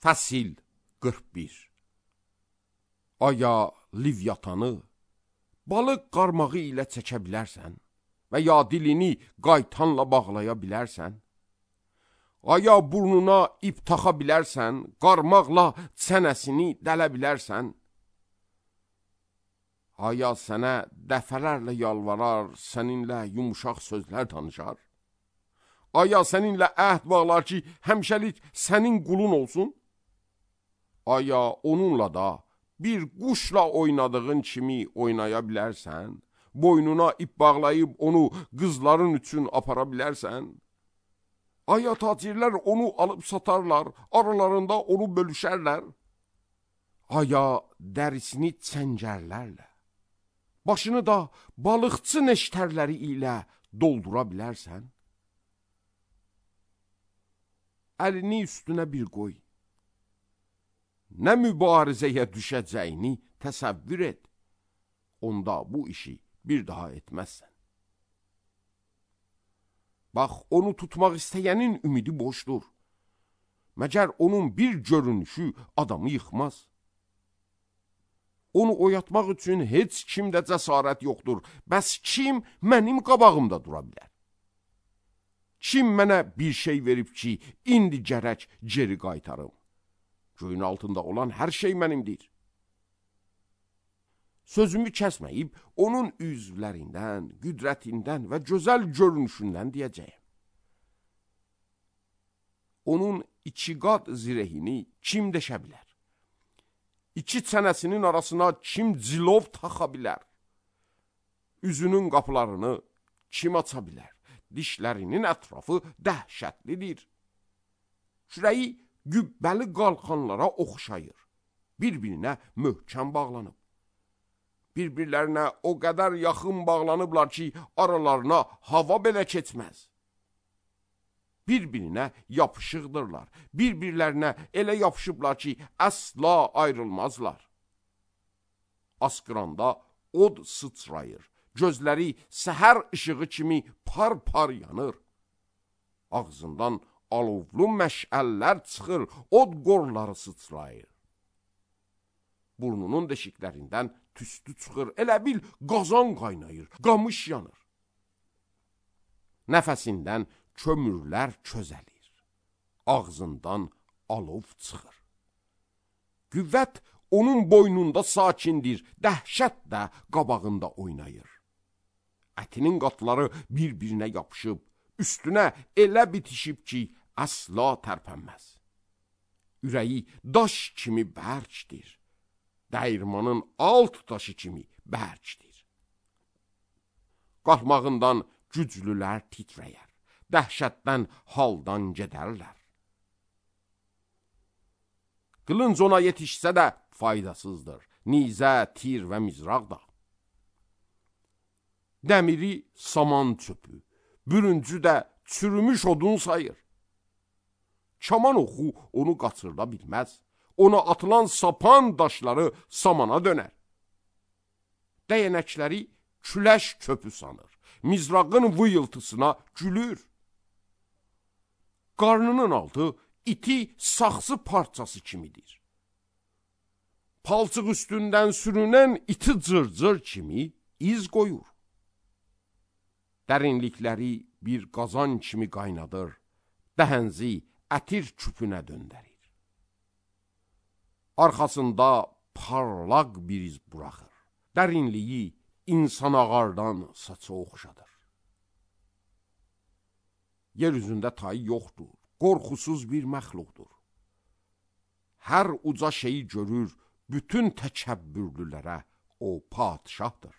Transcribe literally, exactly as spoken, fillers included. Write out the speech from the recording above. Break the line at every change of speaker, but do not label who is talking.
Fəsil qırx bir. Aya Livyatanı balıq qarmağı ilə çəkə bilərsən və ya dilini qaytanla bağlaya bilərsən? Aya burnuna ip taxa bilərsən, qarmaqla çənəsini dələ bilərsən? Aya sənə dəfələrlə yalvarar, səninlə yumuşaq sözlər danışar? Aya səninlə əhd bağlar ki, həmişəlik sənin qulun olsun? Aya onunla da bir quşla oynadığın kimi oynaya bilərsən? Boynuna ip bağlayıb onu qızların üçün apara bilərsən? Aya tacirlər onu alıb satarlar, aralarında onu bölüşərlər? Aya dərisini çəngərlərlə, başını da balıqçı neştərləri ilə doldura bilərsən? Əlini üstünə bir qoy. Nə mübarizəyə düşəcəyini təsəvvür et. Onda bu işi bir daha etməzsən. Bax, onu tutmaq istəyənin ümidi boşdur. Məgər onun bir görünüşü adamı yıxmaz. Onu oyatmaq üçün heç kimdə cəsarət yoxdur. Bəs kim mənim qabağımda dura bilər? Kim mənə bir şey verib ki, indi gərək geri qaytarım? Göyün altında olan hər şey mənimdir. Sözümü kəsməyib, onun üzvlərindən, qüdrətindən və gözəl görünüşündən deyəcəyim. Onun iki qat zirehini kim deşə bilər? İki çənəsinin arasına kim cilov taxa bilər? Üzünün qapılarını kim aça bilər? Dişlərinin ətrafı dəhşətlidir. Şürəyi gübbəli qalxanlara oxşayır. Bir-birinə möhkəm bağlanıb. Bir-birlərinə o qədər yaxın bağlanıblar ki, aralarına hava belə keçməz. Bir-birinə yapışıqdırlar. Bir-birlərinə elə yapışıblar ki, əsla ayrılmazlar. Asqıranda od sıçrayır. Gözləri səhər işığı kimi par-par yanır. Ağzından alovlu məşəllər çıxır, od qorları sıçrayır. Burnunun deşiklərindən tüstü çıxır, elə bil qazan qaynayır, qamış yanır. Nəfəsindən kömürlər çözəlir, ağzından alov çıxır. Qüvvət onun boynunda sakindir, dəhşət də qabağında oynayır. Ətinin qatları bir-birinə yapışıb, üstünə elə bitişib ki, əsla tərpənməz. Ürəyi daş kimi bərkdir, dəyirmanın alt daşı kimi bərkdir. Qalxmağından güclülər titrəyər, dəhşətdən haldan gedərlər. Qılınc ona yetişsə də faydasızdır, nizə, tir və mizraq da. Dəmiri saman çöpü, bürüncü də çürümüş odun sayır. Kaman oxu onu qaçırda bilməz. Ona atılan sapan daşları samana dönər. Dəyənəkləri küləş köpü sanır. Mizrağın vıyıltısına gülür. Qarnının altı iti saxsı parçası kimidir. Palçıq üstündən sürünən iti cırcır kimi iz qoyur. Dərinlikləri bir qazan kimi qaynadır, dəhənzi ətir küpünə döndərir. Arxasında parlaq bir iz buraxır, dərinliyi insan ağardan saça oxşadır. Yer üzündə tayı yoxdur, qorxusuz bir məxluqdur. Hər uca şeyi görür, bütün təkəbbürlülərə o padişahdır.